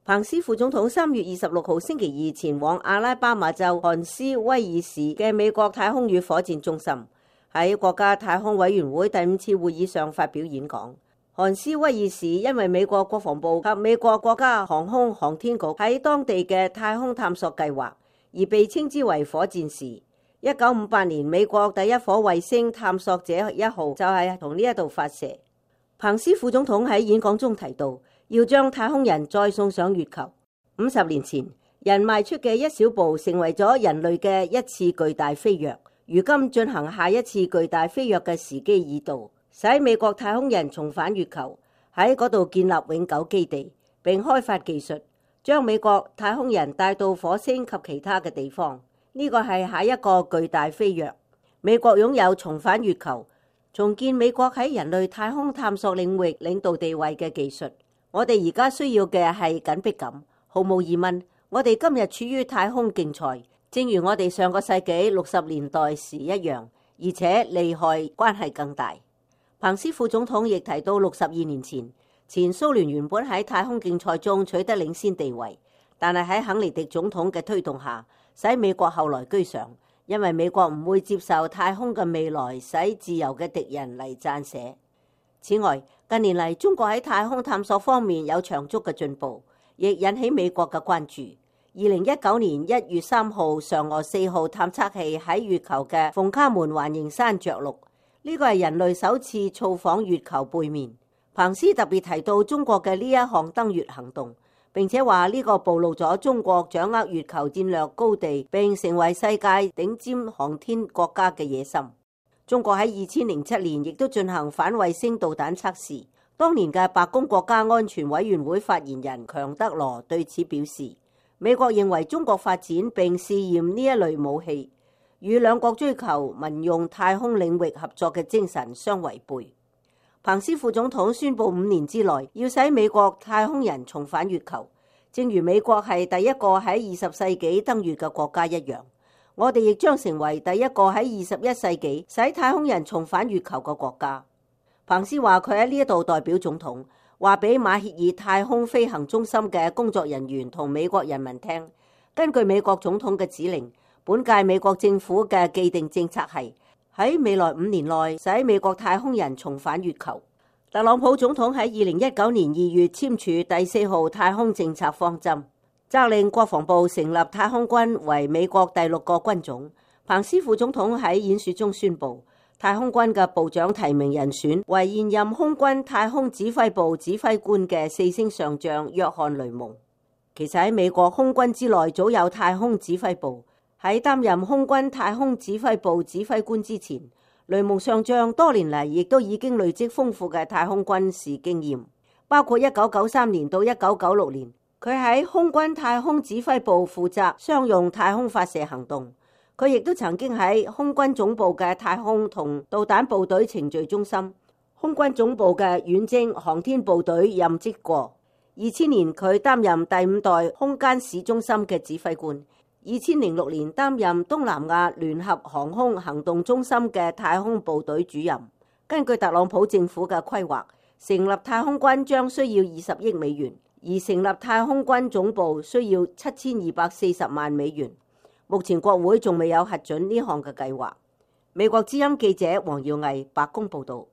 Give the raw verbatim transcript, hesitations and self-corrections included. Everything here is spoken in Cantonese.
彭斯副總統三月二十六號星期二前往阿拉巴馬州韓斯威爾市嘅美國太空與火箭中心，喺國家太空委員會第五次會議上發表演講。韓斯威爾市因為美國國防部及美國國家航空航天局喺當地嘅太空探索計劃，而被稱之為火箭市。一九五八年，美國第一顆衛星探索者一號就係從呢一度發射。彭斯副總統喺演講中提到，要將太空人再送上月球。五十年前，人邁出嘅一小步，成為咗人類嘅一次巨大飛躍。如今進行下一次巨大飛躍嘅時機已到。使美國太空人重返月球，喺嗰度建立永久基地，並開發技術，將美國太空人帶到火星及其他嘅地方。呢個係下一個巨大飛躍。美國擁有重返月球、重建美國喺人類太空探索領域領導地位嘅技術。我哋而家需要嘅係緊迫感。毫無疑問，我哋今日處於太空競賽，正如我哋上個世紀六十年代時一樣，而且利害關係更大。彭斯副總統亦提到，六十二年前，前蘇聯原本喺太空競賽中取得領先地位，但係喺肯尼迪總統嘅推動下，使美國後來居上，因為美國唔會接受太空嘅未來使自由嘅敵人嚟撰寫。此外，近年嚟中國喺太空探索方面有長足嘅進步，亦引起美國嘅關注。二零一九年一月三號，嫦娥四號探測器喺月球嘅鳳卡門環形山着陸。呢個係人類首次造訪月球背面。彭斯特別提到中國嘅呢一項登月行動，並且話呢個暴露咗中國掌握月球戰略高地並成為世界頂尖航天國家嘅野心。中國喺二千零七年亦都進行反衛星導彈測試。當年嘅白宮國家安全委員會發言人強德羅對此表示，美國認為中國發展並試驗呢一類武器，與兩國追求民用太空領域合作嘅精神相違背。彭斯副總統宣布五年之內要使美國太空人重返月球，正如美國係第一個喺二十世紀登月嘅國家一樣，我哋亦將成為第一個喺二十一世紀使太空人重返月球嘅國家。彭斯話佢喺呢一度代表總統，話俾馬歇爾太空飛行中心嘅工作人員同美國人民聽，根據美國總統嘅指令，本屆美國政府嘅既定政策係喺未來五年內使美國太空人重返月球。特朗普總統喺二零一九年二月簽署第四號太空政策方針，責令國防部成立太空軍為美國第六個軍種。彭斯副總統喺演說中宣布，太空軍嘅部長提名人選為現任空軍太空指揮部指揮官嘅四星上將約翰雷蒙。其實喺美國空軍之內早有太空指揮部。喺擔任空軍太空指揮部指揮官之前，雷蒙上將多年嚟亦都已經累積豐富嘅太空軍事經驗，包括一九九三年到一九九六年，佢喺空軍太空指揮部負責商用太空發射行動。佢亦都曾經喺空軍總部嘅太空同導彈部隊程序中心、空軍總部嘅遠征航天部隊任職過。二千年佢擔任第五代空間市中心嘅指揮官。二千零六年擔任東南亞聯合航空行動中心嘅太空部隊主任。根據特朗普政府嘅規劃，成立太空軍將需要二十億美元，而成立太空軍總部需要七千二百四十萬美元。目前國會仲未有核准呢項嘅計劃。美國之音記者黃耀毅白宮報道。